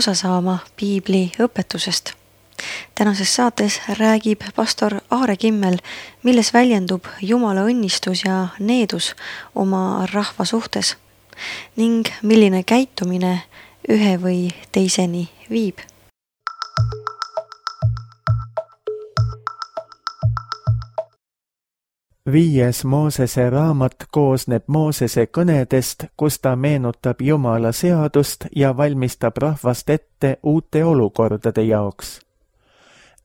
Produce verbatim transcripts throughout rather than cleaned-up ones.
osa saama piibli õpetusest. Tänases saates räägib pastor Aare Kimmel, milles väljendub Jumala õnnistus ja needus oma rahva suhtes ning milline käitumine ühe või teiseni viib. Viies Moosese raamat koosneb Moosese kõnedest, kus ta meenutab Jumala seadust ja valmistab rahvast ette uute olukordade jaoks.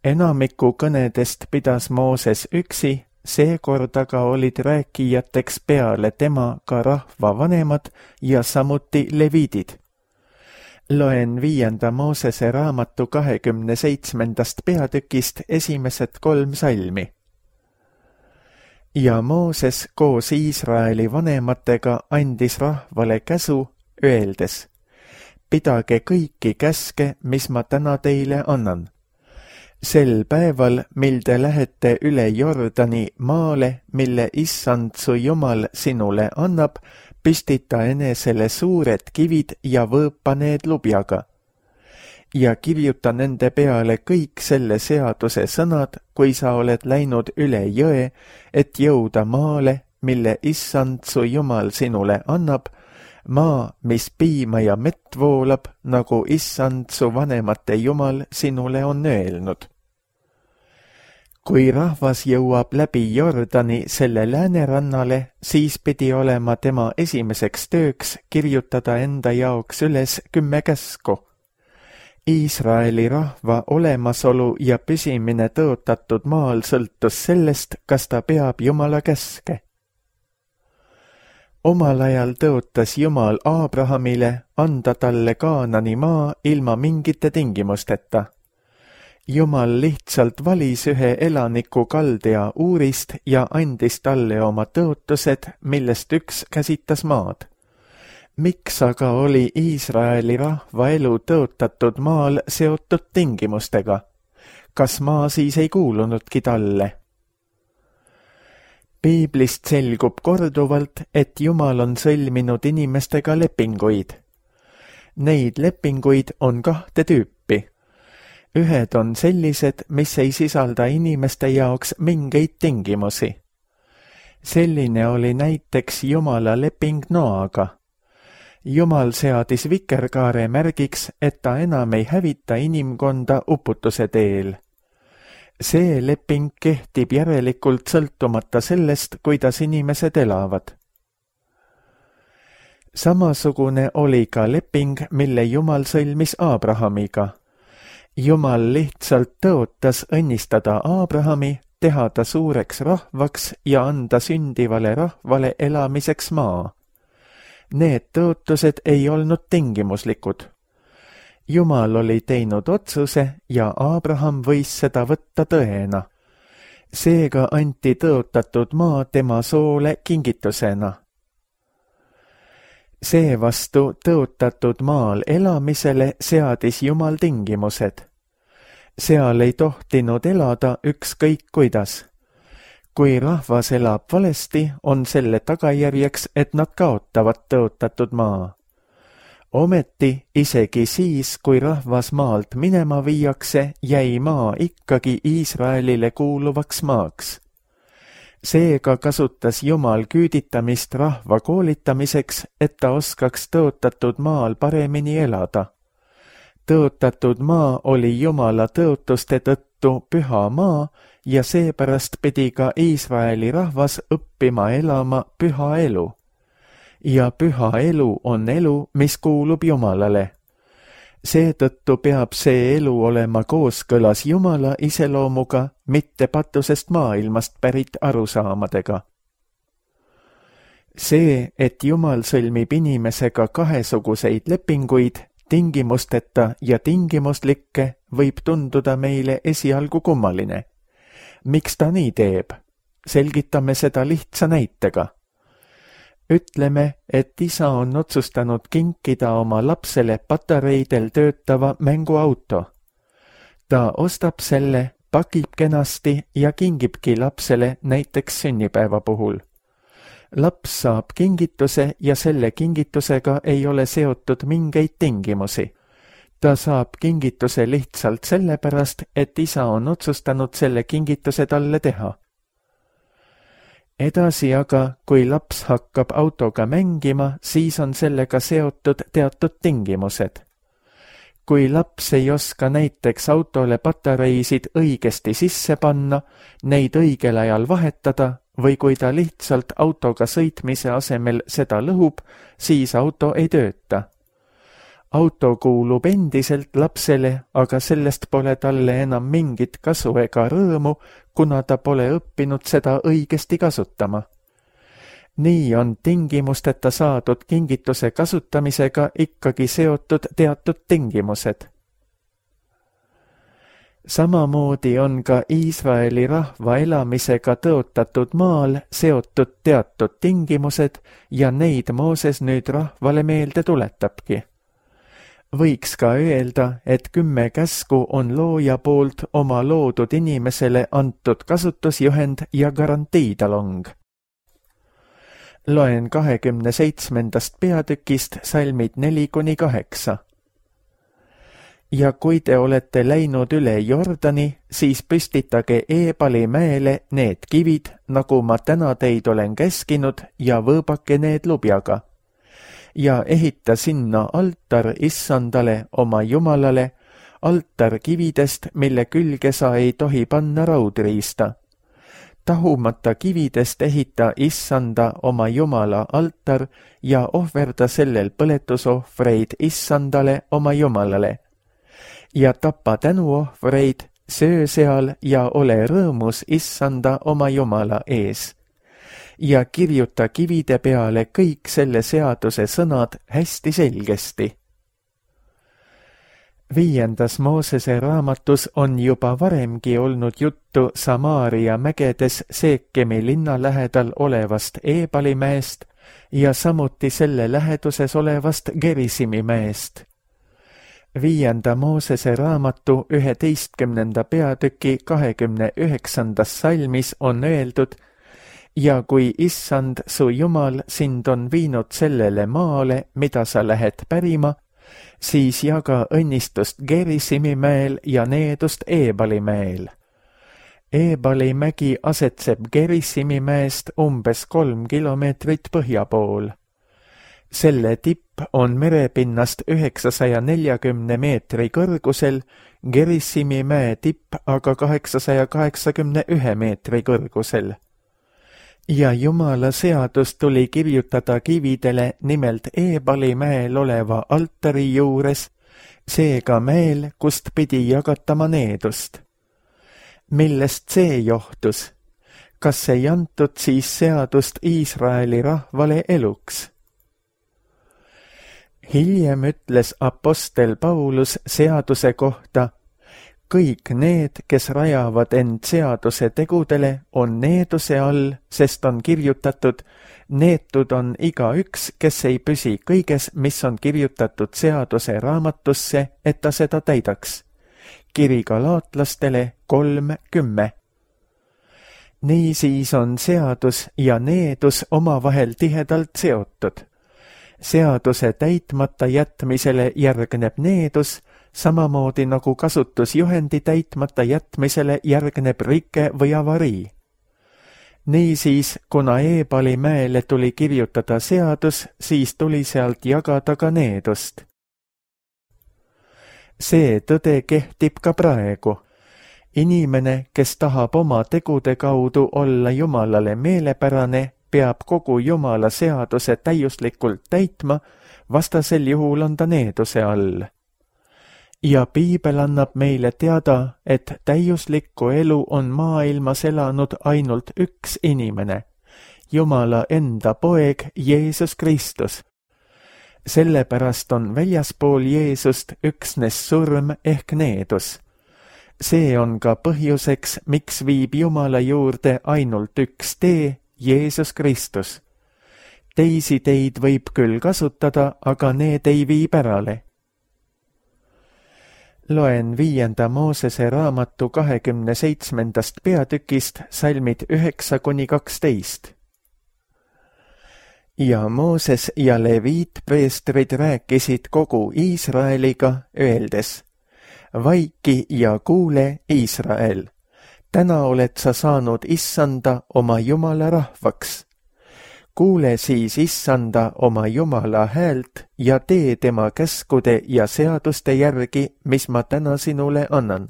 Enamiku kõnedest pidas Mooses üksi, seekord aga olid rääkijateks peale tema ka rahva vanemad ja samuti leviidid. Loen viienda Moosese raamatu kahekümne seitsmendast peatükist esimesed kolm salmi. Ja Mooses koos Iisraeli vanematega andis rahvale käsu, öeldes: pidage kõiki käske, mis ma täna teile annan. Sel päeval, mil te lähete üle Jordani maale, mille issand su Jumal sinule annab, püstita enesele suured kivid ja võõpa need lubjaga. Ja kirjuta nende peale kõik selle seaduse sõnad, kui sa oled läinud üle jõe, et jõuda maale, mille issand su Jumal sinule annab, maa, mis piima ja mett voolab, nagu issand su vanemate Jumal sinule on öelnud. Kui rahvas jõuab läbi Jordani selle läänerannale, siis pidi olema tema esimeseks tööks kirjutada enda jaoks üles kümme käsku. Iisraeli rahva olemasolu ja püsimine tõotatud maal sõltus sellest, kas ta peab Jumala käske. Omal ajal tõotas Jumal Aabrahamile anda talle Kaanani maa ilma mingite tingimusteta. Jumal lihtsalt valis ühe elaniku Kaldea Uurist ja andis talle oma tõotused, millest üks käsitas maad. Miks aga oli Iisraeli rahva elu tõotatud maal seotud tingimustega? Kas maa siis ei kuulunudki talle? Piiblist selgub korduvalt, et Jumal on sõlminud inimestega lepinguid. Neid lepinguid on kahte tüüpi. Ühed on sellised, mis ei sisalda inimeste jaoks mingeid tingimusi. Selline oli näiteks Jumala leping Noaga. Jumal seadis vikerkaare märgiks, et ta enam ei hävita inimkonda uputuse teel. See leping kehtib järelikult sõltumata sellest, kuidas inimesed elavad. Samasugune oli ka leping, mille Jumal sõlmis Aabrahamiga. Jumal lihtsalt tõotas õnnistada Aabrahami, teha ta suureks rahvaks ja anda sündivale rahvale elamiseks maa. Need tõotused ei olnud tingimuslikud. Jumal oli teinud otsuse ja Aabraham võis seda võtta tõena. Seega anti tõotatud maa tema soole kingitusena. Seevastu tõotatud maal elamisele seadis Jumal tingimused. Seal ei tohtinud elada ükskõik kuidas. Kui rahvas elab valesti, on selle tagajärjeks, et nad kaotavad tõotatud maa. Ometi, isegi siis, kui rahvas maalt minema viiakse, jäi maa ikkagi Iisraelile kuuluvaks maaks. Seega kasutas Jumal küüditamist rahva koolitamiseks, et ta oskaks tõotatud maal paremini elada. Tõotatud maa oli Jumala tõotuste tõttu püha maa, ja seepärast pidi ka Iisraeli rahvas õppima elama püha elu. Ja püha elu on elu, mis kuulub Jumalale. Seetõttu peab see elu olema kooskõlas Jumala iseloomuga, mitte patusest maailmast pärit arusaamadega. See, et Jumal sõlmib inimesega kahesuguseid lepinguid, tingimusteta ja tingimuslikke, võib tunduda meile esialgu kummaline. Miks ta nii teeb? Selgitame seda lihtsa näitega. Ütleme, et isa on otsustanud kinkida oma lapsele patareidel töötava mänguauto. Ta ostab selle, pakib kenasti ja kingibki lapsele näiteks sünnipäeva puhul. Laps saab kingituse ja selle kingitusega ei ole seotud mingeid tingimusi. ta saab kingituse lihtsalt sellepärast, et isa on otsustanud selle kingituse talle teha. Edasi aga, kui laps hakkab autoga mängima, siis on sellega seotud teatud tingimused. Kui laps ei oska näiteks autole patareisid õigesti sisse panna, neid õigel ajal vahetada või kui ta lihtsalt autoga sõitmise asemel seda lõhub, siis auto ei tööta. Auto kuulub endiselt lapsele, aga sellest pole talle enam mingit kasu ega rõõmu, kuna ta pole õppinud seda õigesti kasutama. Nii on tingimusteta saadud kingituse kasutamisega ikkagi seotud teatud tingimused. Samamoodi on ka Iisraeli rahva elamisega tõotatud maal seotud teatud tingimused ja neid Mooses nüüd rahvale meelde tuletabki. Võiks ka öelda, et kümme käsku on looja poolt oma loodud inimesele antud kasutusjuhend ja garantiitalong. Loen kahekümne seitsmendast peatükist salmid neli kuni kaheksa. Ja kui te olete läinud üle Jordani, siis püstitage Eebali mäele need kivid, nagu ma täna teid olen käskinud, ja võõbake need lubjaga. Ja ehita sinna altar issandale oma jumalale, altar kividest, mille külge sa ei tohi panna raudriista. Tahumata kividest ehita issanda oma jumala altar ja ohverda sellel põletusohvreid issandale oma jumalale. Ja tapa tänuohvreid, söö seal ja ole rõõmus issanda oma jumala ees. Ja kirjuta kivide peale kõik selle seaduse sõnad hästi selgesti. Viiendas Moosese raamatus on juba varemgi olnud juttu Samaaria mägedes Seekemi linna lähedal olevast Eebali mäest ja samuti selle läheduses olevast Gerisimi mäest. Viienda Moosese raamatu üheteistkümnenda peatüki kahekümne üheksandas salmis on öeldud: ja kui issand su jumal sind on viinud sellele maale, mida sa lähed pärima, siis jaga õnnistust Gerisimi mäel ja needust Eebali mäel. Eebali mägi asetseb Gerisimi mäest umbes kolm kilomeetrit põhja pool. Selle tipp on merepinnast üheksasaja neljakümne meetri kõrgusel, Gerisimi mäe tipp aga kaheksasaja kaheksakümne ühe meetri kõrgusel. Ja Jumala seadus tuli kirjutada kividele nimelt Eebali mäel oleva altari juures, seega mäel, kust pidi jagatama needust. Millest see johtus? Kas ei antud siis seadust Iisraeli rahvale eluks? Hiljem ütles apostel Paulus seaduse kohta: kõik need, kes rajavad end seaduse tegudele, on needuse all, sest on kirjutatud: neetud on igaüks, kes ei püsi kõiges, mis on kirjutatud seaduse raamatusse, et ta seda täidaks. Kiri galaatlastele kolm kümme. Niisiis on seadus ja needus omavahel tihedalt seotud. Seaduse täitmata jätmisele järgneb needus, samamoodi nagu kasutusjuhendi täitmata jätmisele järgneb rike või avarii. Niisiis, kuna Eebali mäele tuli kirjutada seadus, siis tuli sealt jagada ka needust. See tõde kehtib ka praegu. Inimene, kes tahab oma tegude kaudu olla Jumalale meelepärane, peab kogu Jumala seaduse täiuslikult täitma, vastasel juhul on ta needuse all. Ja Piibel annab meile teada, et täiuslikku elu on maailmas elanud ainult üks inimene, Jumala enda poeg Jeesus Kristus. Sellepärast on väljaspool Jeesust üksnes surm ehk needus. See on ka põhjuseks, miks viib Jumala juurde ainult üks tee, Jeesus Kristus. Teisi teid võib küll kasutada, aga need ei vii pärale. Loen viienda Moosese raamatu kahekümne seitsmendast peatükist salmid üheksa kuni kaksteist. Ja Mooses ja Leviit preestrid rääkisid kogu Iisraeliga, öeldes: Vaiki ja kuule, Iisrael, täna oled sa saanud Issanda oma Jumala rahvaks. Kuule siis Issanda oma Jumala häält ja tee tema käskude ja seaduste järgi, mis ma täna sinule annan.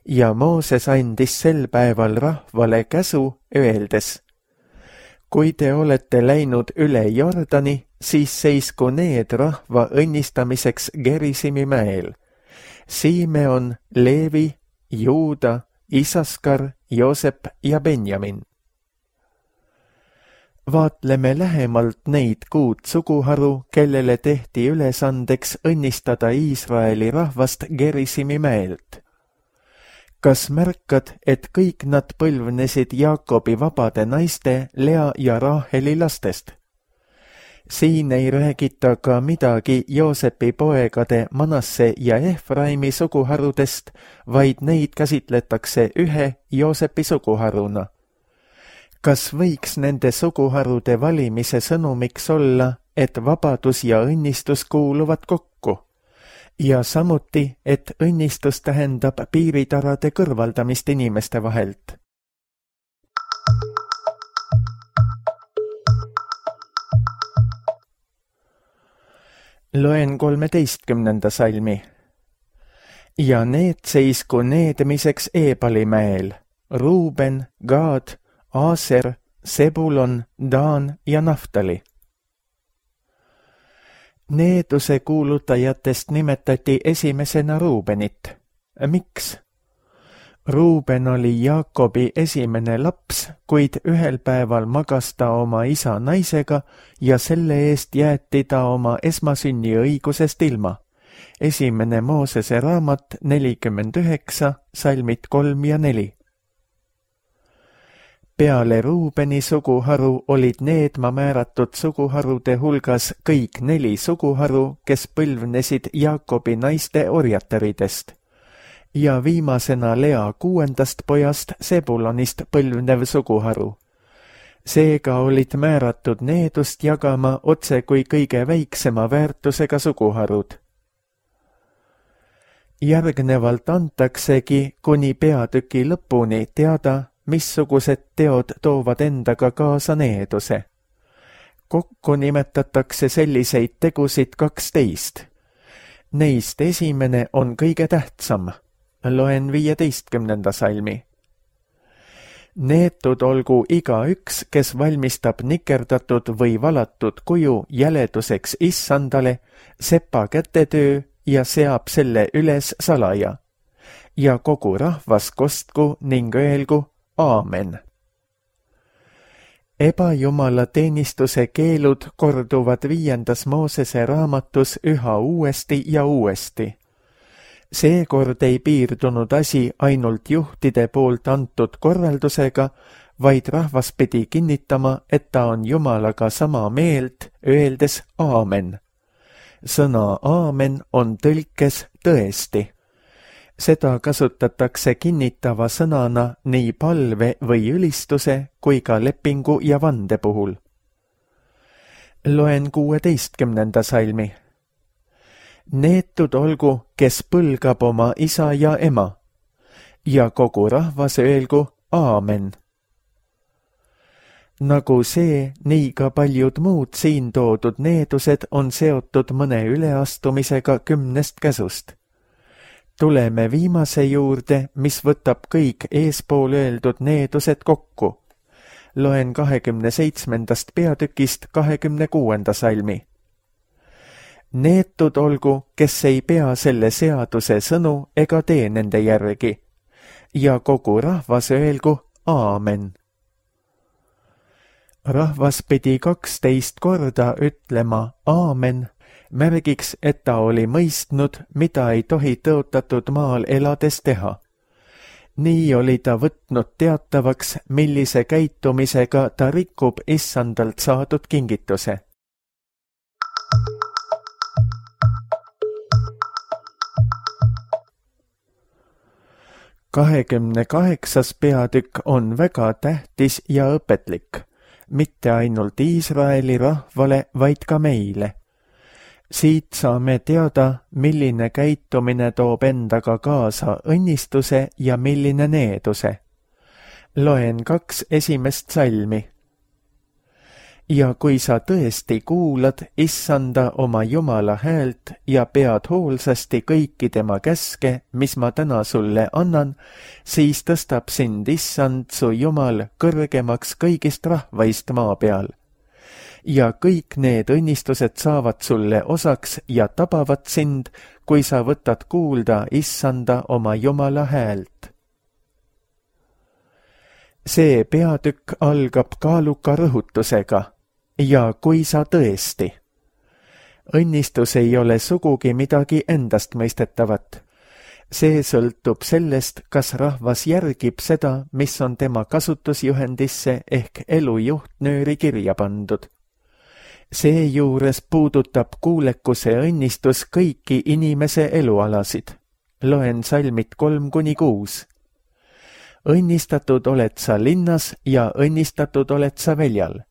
Ja Mooses andis sel päeval rahvale käsu, öeldes: Kui te olete läinud üle Jordani, siis seisku need rahva õnnistamiseks Gerisimi mäel. Simeon, Leevi, Juuda, Isaskar, Joosep ja Benjamin. Vaatleme lähemalt neid kuud suguharu, kellele tehti ülesandeks õnnistada Iisraeli rahvast Gerisimi mäelt. Kas märkad, et kõik nad põlvnesid Jaakobi vabade naiste Lea ja Raaheli lastest? Siin ei räägita ka midagi Joosepi poegade Manasse ja Efraimi suguharudest, vaid neid käsitletakse ühe Joosepi suguharuna. Kas võiks nende suguharude valimise sõnumiks olla, et vabadus ja õnnistus kuuluvad kokku? Ja samuti, et õnnistus tähendab piiritarade kõrvaldamist inimeste vahelt. Loen kolmeteistkümnenda salmi. Ja need seisku needmiseks Eebalimäel, Ruuben, Gaad, Aaser, Sebulon, Daan ja Naftali. Needuse kuulutajatest nimetati esimesena Ruubenit. Miks? Ruuben oli Jaakobi esimene laps, kuid ühel päeval magas ta oma isa naisega ja selle eest jäeti ta oma esmasünni õigusest ilma. Esimene Moosese raamat nelikümmend üheksa, salmid kolm ja neli. Peale Ruubeni suguharu olid needma määratud suguharude hulgas kõik neli suguharu, kes põlvnesid Jaakobi naiste orjataridest. Ja viimasena Lea kuuendast pojast Sebulonist põlvnev suguharu. Seega olid määratud needust jagama otse kui kõige väiksema väärtusega suguharud. Järgnevalt antaksegi kuni peatüki lõpuni teada, missugused teod toovad endaga kaasa needuse. Kokku nimetatakse selliseid tegusid kaksteist. Neist esimene on kõige tähtsam. Loen viieteistkümnenda salmi. Neetud olgu igaüks, kes valmistab nikerdatud või valatud kuju jäleduseks Issandale, sepa kätetöö ja seab selle üles salaja. Ja kogu rahvas kostku ning öelgu Aamen. Ebajumala teenistuse keelud korduvad viiendas Moosese raamatus üha uuesti ja uuesti. Seekord ei piirdunud asi ainult juhtide poolt antud korraldusega, vaid rahvas pidi kinnitama, et ta on Jumalaga sama meelt, öeldes Aamen. Sõna Aamen on tõlkes tõesti. Seda kasutatakse kinnitava sõnana nii palve või ülistuse kui ka lepingu ja vande puhul. Loen kuueteistkümnenda salmi. Neetud olgu, kes põlgab oma isa ja ema, ja kogu rahvas öelgu Aamen. Nagu see, nii ka paljud muud siin toodud needused on seotud mõne üleastumisega kümnest käsust. Tuleme viimase juurde, mis võtab kõik eespool öeldud needused kokku. Loen kahekümne seitsmendast peatükist kahekümne kuuenda salmi. Neetud olgu, kes ei pea selle seaduse sõnu ega tee nende järgi, ja kogu rahvas öelgu Aamen. Rahvas pidi kaksteist korda ütlema Aamen, märgiks, et ta oli mõistnud, mida ei tohi tõotatud maal elades teha. Nii oli ta võtnud teatavaks, millise käitumisega ta rikub Issandalt saadud kingituse. kahekümne kaheksas peatükk on väga tähtis ja õpetlik. mitte ainult Iisraeli rahvale, vaid ka meile. Siit saame teada, milline käitumine toob endaga kaasa õnnistuse ja milline needuse. Loen kaks esimest salmi. Ja kui sa tõesti kuulad Issanda oma Jumala häält ja pead hoolsasti kõiki tema käske, mis ma täna sulle annan, siis tõstab sind Issand su Jumal kõrgemaks kõigist rahvaist maa peal. Ja kõik need õnnistused saavad sulle osaks ja tabavad sind, kui sa võtad kuulda Issanda oma Jumala häält. See peatükk algab kaaluka rõhutusega. Ja kui sa tõesti. Õnnistus ei ole sugugi midagi endast mõistetavat. See sõltub sellest, kas rahvas järgib seda, mis on tema kasutusjuhendisse ehk elu juhtnööri kirja pandud. Seejuures puudutab kuulekuse õnnistus kõiki inimese elualasid. Loen salmid kolm kuni kuus. Õnnistatud oled sa linnas ja õnnistatud oled sa väljal.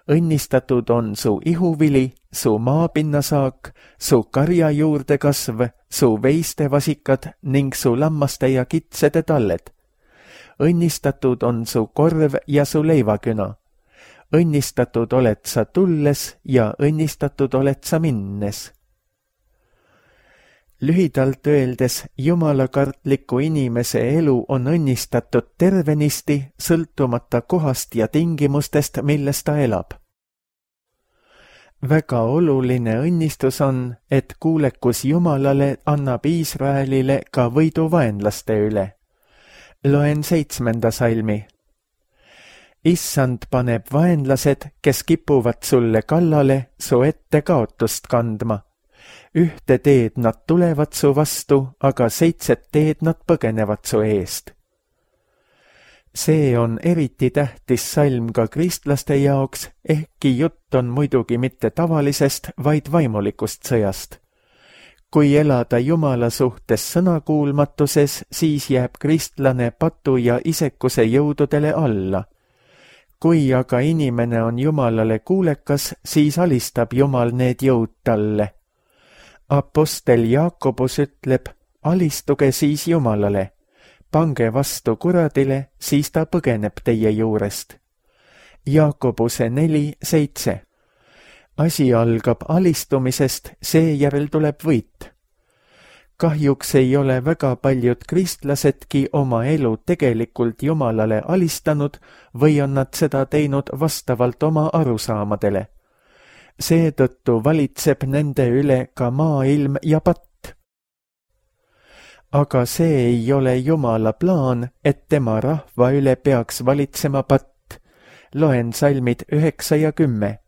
Õnnistatud on su ihuvili, su maapinnasaak, su karja juurde kasv, su veistevasikad ning su lammaste ja kitsede talled. Õnnistatud on su korv ja su leivaküna. Õnnistatud oled sa tulles ja õnnistatud oled sa minnes. Lühidalt öeldes, jumalakartliku inimese elu on õnnistatud tervenisti, sõltumata kohast ja tingimustest, milles ta elab. Väga oluline õnnistus on, et kuulekus Jumalale annab Iisraelile ka võidu vaenlaste üle. Loen seitsmenda salmi. Issand paneb vaenlased, kes kipuvad sulle kallale, su ette kaotust kandma. Ühte teed nad tulevad su vastu, aga seitset teed nad põgenevad su eest. See on eriti tähtis salm ka kristlaste jaoks, ehkki jutt on muidugi mitte tavalisest, vaid vaimulikust sõjast. Kui elada Jumala suhtes sõnakuulmatuses, siis jääb kristlane patu ja isekuse jõududele alla. Kui aga inimene on Jumalale kuulekas, siis alistab Jumal need jõud talle. Apostel Jaakobus ütleb, alistuge siis Jumalale, pange vastu kuradile, siis ta põgeneb teie juurest. Jaakobuse neli seitse. Asi algab alistumisest, seejärel tuleb võit. Kahjuks ei ole väga paljud kristlasedki oma elu tegelikult Jumalale alistanud või on nad seda teinud vastavalt oma arusaamadele. Seetõttu valitseb nende üle ka maailm ja patt. Aga see ei ole Jumala plaan, et tema rahva üle peaks valitsema patt. Loen salmid üheksa ja kümme.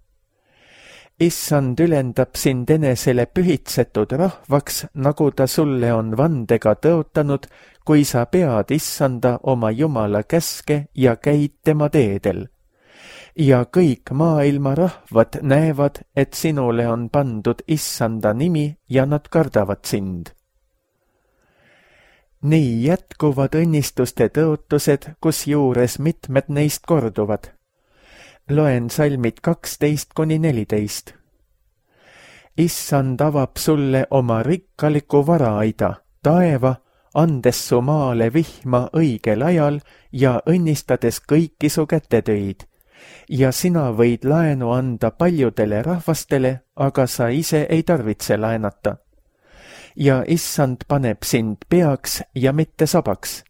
Issand ülendab sind enesele pühitsetud rahvaks, nagu ta sulle on vandega tõotanud, kui sa pead Issanda oma Jumala käske ja käid tema teedel. Ja kõik maailma rahvad näevad, et sinule on pandud Issanda nimi ja nad kardavad sind. Nii jätkuvad õnnistuste tõotused, kus juures mitmed neist korduvad. Loen salmid kaksteist kuni neliteist. Issand avab sulle oma rikkaliku varaaida, taeva, andes su maale vihma õigel ajal ja õnnistades kõiki su kätetöid. Ja sina võid laenu anda paljudele rahvastele, aga sa ise ei tarvitse laenata. Ja Issand paneb sind peaks ja mitte sabaks.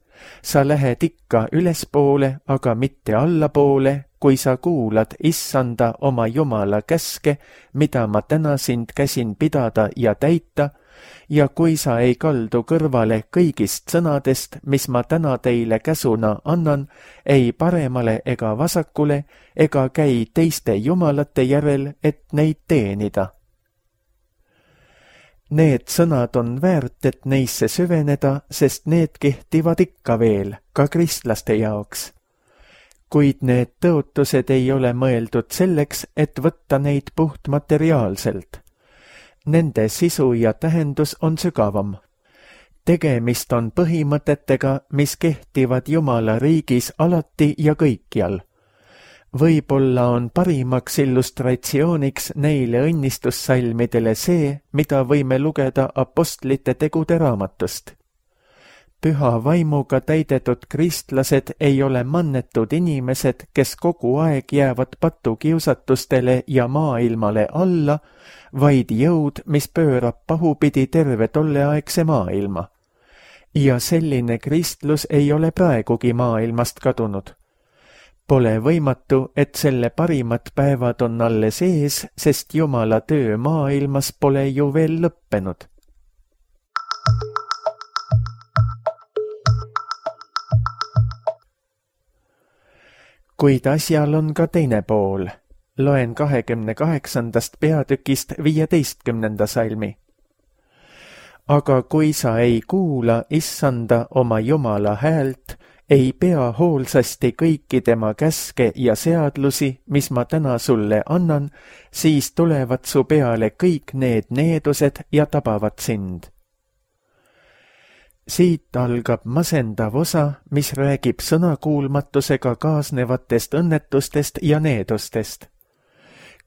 Sa lähed ikka ülespoole, aga mitte allapoole, kui sa kuulad Issanda oma Jumala käske, mida ma täna sind käsin pidada ja täita, ja kui sa ei kaldu kõrvale kõigist sõnadest, mis ma täna teile käsuna annan, ei paremale ega vasakule, ega käi teiste jumalate järel, et neid teenida. Need sõnad on väärt, et neisse süveneda, sest need kehtivad ikka veel, ka kristlaste jaoks. Kuid need tõotused ei ole mõeldud selleks, et võtta neid puhtmateriaalselt. Nende sisu ja tähendus on sügavam. Tegemist on põhimõtetega, mis kehtivad Jumala riigis alati ja kõikjal. Võib-olla on parimaks illustratsiooniks neile õnnistussalmidele see, mida võime lugeda apostlite tegude raamatust. Püha vaimuga täidetud kristlased ei ole mannetud inimesed, kes kogu aeg jäävad patukiusatustele ja maailmale alla, vaid jõud, mis pöörab pahupidi terve tolleaegse maailma. Ja selline kristlus ei ole praegugi maailmast kadunud. Pole võimatu, et selle parimad päevad on alles ees, sest Jumala töö maailmas pole ju veel lõppenud. Kuid asjal on ka teine pool. Loen kahekümne kaheksandast peatükist viieteistkümnenda salmi. Aga kui sa ei kuula issanda oma Jumala häält, ei pea hoolsasti kõiki tema käske ja seadlusi, mis ma täna sulle annan, siis tulevad su peale kõik need needused ja tabavad sind. Siit algab masendav osa, mis räägib sõnakuulmatusega kaasnevatest õnnetustest ja needustest.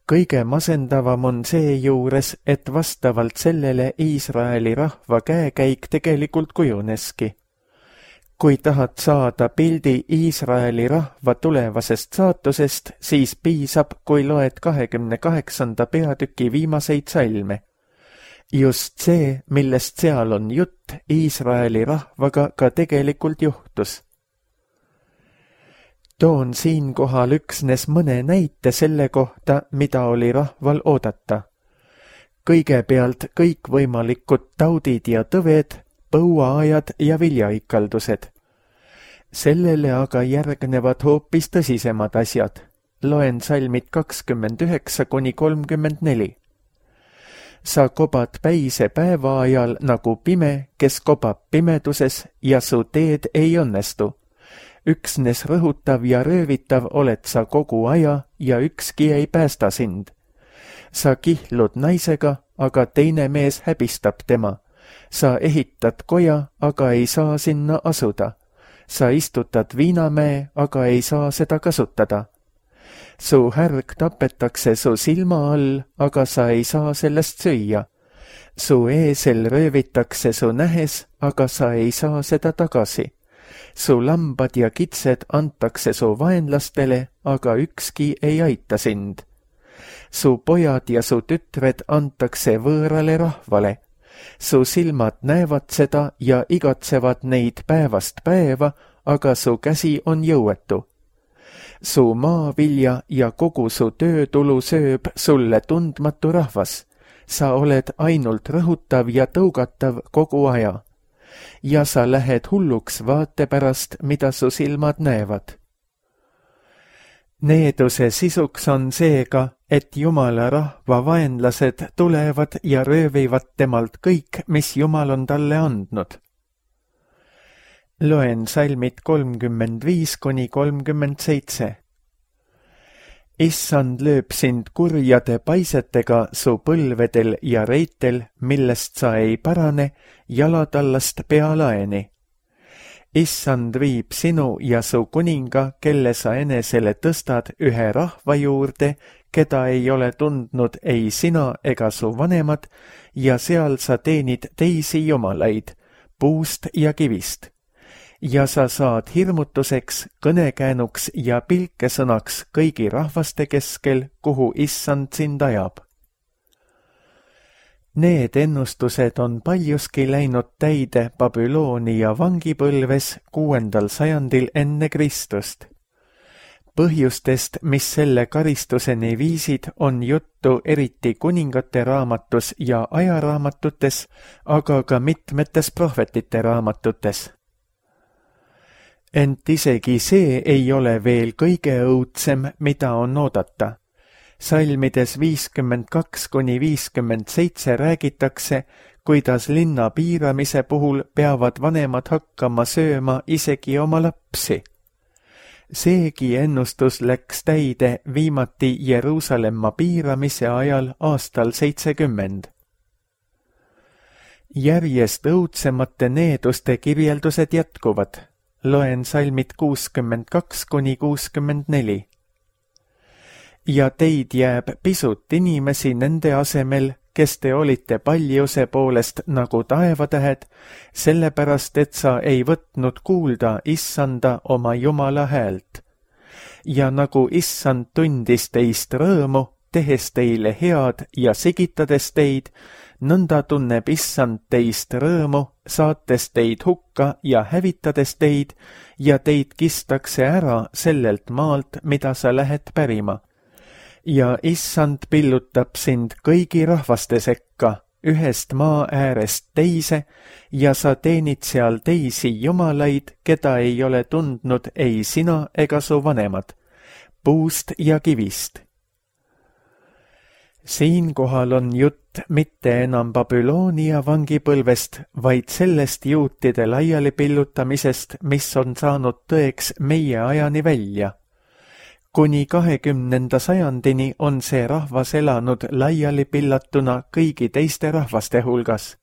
Kõige masendavam on see juures, et vastavalt sellele Iisraeli rahva käekäik tegelikult kujuneski. Kui tahad saada pildi Iisraeli rahva tulevasest saatusest, siis piisab, kui loed kahekümne kaheksanda peatüki viimaseid salme. Just see, millest seal on jutt, Iisraeli rahvaga ka tegelikult juhtus. Toon siinkohal üksnes mõne näite selle kohta, mida oli rahval oodata. Kõigepealt kõikvõimalikud taudid ja tõved, põuaajad ja viljaikaldused. Sellele aga järgnevad hoopis tõsisemad asjad. Loen salmid kakskümmend üheksa kuni kolmkümmend neli. Sa kobad päise päeva ajal nagu pime, kes kobab pimeduses ja su teed ei õnnestu. Üksnes rõhutav ja röövitav oled sa kogu aja ja ükski ei päästa sind. Sa kihlud naisega, aga teine mees häbistab tema. Sa ehitad koja, aga ei saa sinna asuda. Sa istutad viinamäe, aga ei saa seda kasutada. Su härg tapetakse su silma all, aga sa ei saa sellest süüa. Su eesel röövitakse su nähes, aga sa ei saa seda tagasi. Su lambad ja kitsed antakse su vaenlastele, aga ükski ei aita sind. Su pojad ja su tütred antakse võõrale rahvale. Su silmad näevad seda ja igatsevad neid päevast päeva, aga su käsi on jõuetu. Su maavilja ja kogu su töötulu sööb sulle tundmatu rahvas. Sa oled ainult rõhutav ja tõugatav kogu aja. Ja sa lähed hulluks vaate pärast, mida su silmad näevad. Needuse sisuks on seega, et Jumala rahva vaenlased tulevad ja röövivad temalt kõik, mis Jumal on talle andnud. Loen salmid kolmkümmend viis kuni kolmkümmend seitse. Issand lööb sind kurjade paisetega su põlvedel ja reitel, millest sa ei parane, jalatallast pealaeni. Issand viib sinu ja su kuninga, kelle sa enesele tõstad ühe rahva juurde, keda ei ole tundnud ei sina ega su vanemad, ja seal sa teenid teisi jumalaid, puust ja kivist. Ja sa saad hirmutuseks, kõnekäänuks ja pilkesõnaks kõigi rahvaste keskel, kuhu issand sind ajab. Need ennustused on paljuski läinud täide Babyloonia vangipõlves kuuendal sajandil enne Kristust. Põhjustest, mis selle karistuseni viisid, on juttu eriti kuningate raamatus ja ajaraamatutes, aga ka mitmetes prohvetite raamatutes. Ent isegi see ei ole veel kõige õudsem, mida on oodata. Salmides viiskümmend kaks kuni viiskümmend seitse räägitakse, kuidas linna piiramise puhul peavad vanemad hakkama sööma isegi oma lapsi. Seegi ennustus läks täide viimati Jeruusalemma piiramise ajal aastal seitsekümmend. Järjest õudsemate needuste kirjeldused jätkuvad. Loen salmid kuuskümmend kaks kuni kuuskümmend neli. ja teid jääb pisut inimesi nende asemel, kes te olite paljuse poolest nagu taevatähed, sellepärast et sa ei võtnud kuulda issanda oma Jumala häält. Ja nagu issand tundis teist rõõmu, tehes teile head ja sigitades teid, nõnda tunneb issand teist rõõmu, saates teid hukka ja hävitades teid, ja teid kistakse ära sellelt maalt, mida sa lähed pärima. Ja issand pillutab sind kõigi rahvaste sekka, ühest maa äärest teise, ja sa teenid seal teisi jumalaid, keda ei ole tundnud ei sina ega su vanemad, puust ja kivist. Siinkohal on jutt mitte enam Babyloonia vangipõlvest, vaid sellest juutide laiali pillutamisest, mis on saanud tõeks meie ajani välja. Kuni kahekümnenda sajandini on see rahvas elanud laiali pillatuna kõigi teiste rahvaste hulgas.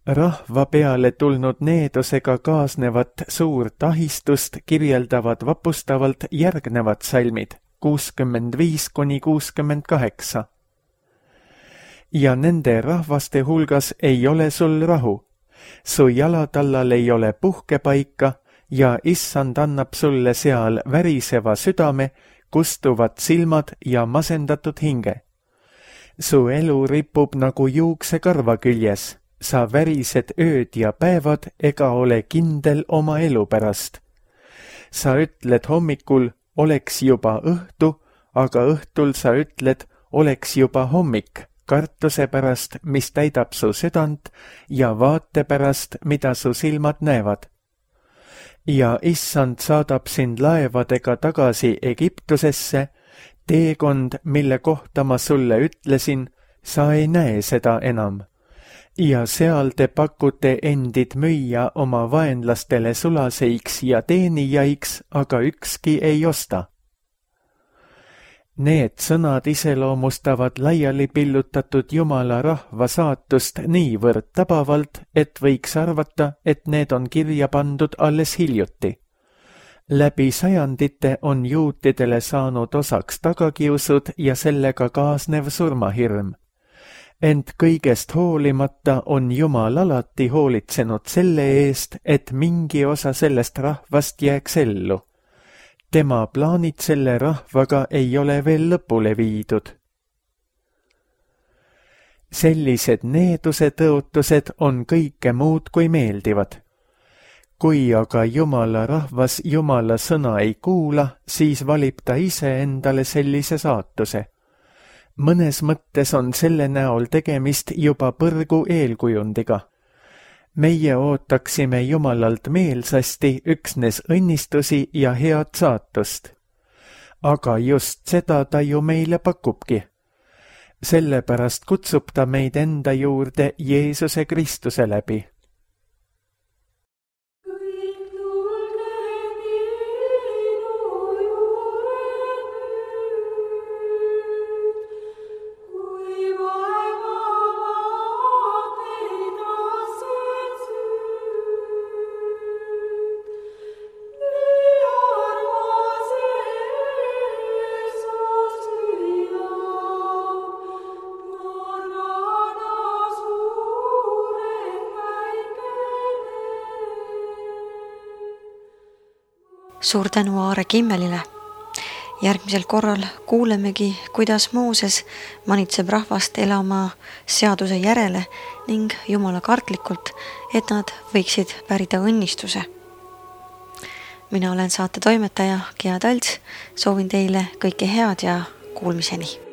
Rahva peale tulnud needusega kaasnevat suurt ahistust kirjeldavad vapustavalt järgnevad salmid, kuuskümmend viis kuni kuuskümmend kaheksa. Ja nende rahvaste hulgas ei ole sul rahu, su jalatallal ei ole puhkepaika, ja issand annab sulle seal väriseva südame, kustuvad silmad ja masendatud hinge. Su elu ripub nagu juuksekarva küljes, sa värised ööd ja päevad ega ole kindel oma elu pärast. Sa ütled hommikul, oleks juba õhtu, aga õhtul sa ütled, oleks juba hommik, kartuse pärast, mis täidab su südant, ja vaate pärast, mida su silmad näevad. Ja issand saadab sind laevadega tagasi Egiptusesse, teekond, mille kohta ma sulle ütlesin, sa ei näe seda enam. Ja seal te pakute endid müüa oma vaenlastele sulaseiks ja teenijaiks, aga ükski ei osta. Need sõnad iseloomustavad laiali pillutatud Jumala rahva saatust niivõrd tabavalt, et võiks arvata, et need on kirja pandud alles hiljuti. Läbi sajandite on juutidele saanud osaks tagakiusud ja sellega kaasnev surmahirm. Ent kõigest hoolimata on Jumal alati hoolitsenud selle eest, et mingi osa sellest rahvast jääks ellu. Tema plaanid selle rahvaga ei ole veel lõpule viidud. Sellised needuse tõotused on kõike muud kui meeldivad. Kui aga Jumala rahvas Jumala sõna ei kuula, siis valib ta ise endale sellise saatuse. Mõnes mõttes on selle näol tegemist juba põrgu eelkujundiga. Meie ootaksime Jumalalt meelsasti üksnes õnnistusi ja head saatust. Aga just seda ta ju meile pakubki. Sellepärast kutsub ta meid enda juurde Jeesuse Kristuse läbi. Suur tänu Aare Kimmelile. Järgmisel korral kuulemegi, kuidas Mooses manitseb rahvast elama seaduse järele ning Jumala kartlikult, et nad võiksid pärida õnnistuse. Mina olen saate toimetaja Gea Talts, soovin teile kõike head ja kuulmiseni.